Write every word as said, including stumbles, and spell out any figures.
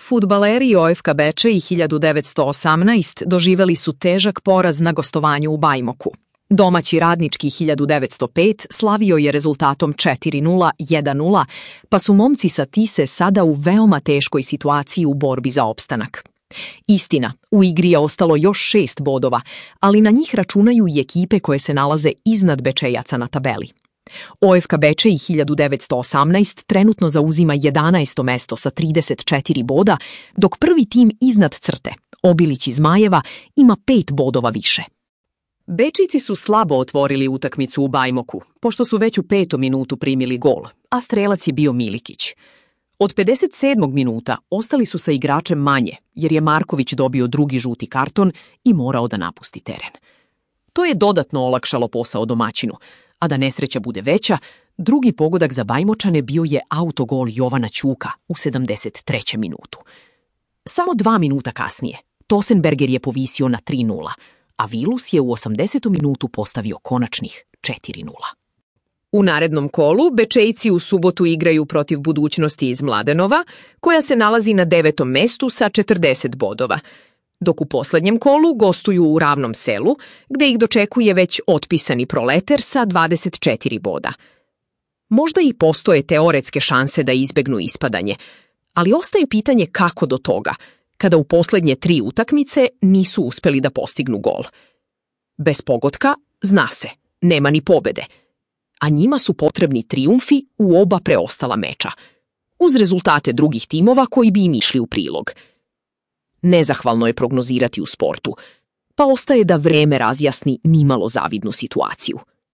Fudbaleri O F K Bečej hiljadu devetsto osamnaest doživeli su težak poraz na gostovanju u Bajmoku. Domaći Radnički hiljadu devetsto pet slavio je rezultatom četiri nula jedan nula, pa su momci sa Tise sada u veoma teškoj situaciji u borbi za opstanak. Istina, u igri je ostalo još šest bodova, ali na njih računaju i ekipe koje se nalaze iznad Bečejaca na tabeli. O F K Bečej hiljadu devetsto osamnaest trenutno zauzima jedanaesto mesto sa trideset četiri boda, dok prvi tim iznad crte, Obilić iz Zmajeva, ima pet bodova više. Bečijci su slabo otvorili utakmicu u Bajmoku, pošto su već u petom minutu primili gol, a strelac je bio Milikić. Od pedeset sedmog minuta ostali su sa igračem manje, jer je Marković dobio drugi žuti karton i morao da napusti teren. To je dodatno olakšalo posao domaćinu, a da nesreća bude veća, drugi pogodak za Bajmočane bio je autogol Jovana Ćuka u sedamdeset trećem minutu. Samo dva minuta kasnije, Tosenberger je povisio na tri nula, a Vilus je u osamdesetom minutu postavio konačnih četiri nula. U narednom kolu Bečejci u subotu igraju protiv Budućnosti iz Mladenova, koja se nalazi na devetom mestu sa četrdeset bodova, dok u poslednjem kolu gostuju u Ravnom Selu, gde ih dočekuje već otpisani Proleter sa dvadeset četiri boda. Možda i postoje teoretske šanse da izbegnu ispadanje, ali ostaje pitanje kako do toga, kada u poslednje tri utakmice nisu uspeli da postignu gol. Bez pogotka, zna se, nema ni pobede, a njima su potrebni trijumfi u oba preostala meča, uz rezultate drugih timova koji bi im išli u prilog. Nezahvalno je prognozirati u sportu, pa ostaje da vreme razjasni nimalo zavidnu situaciju.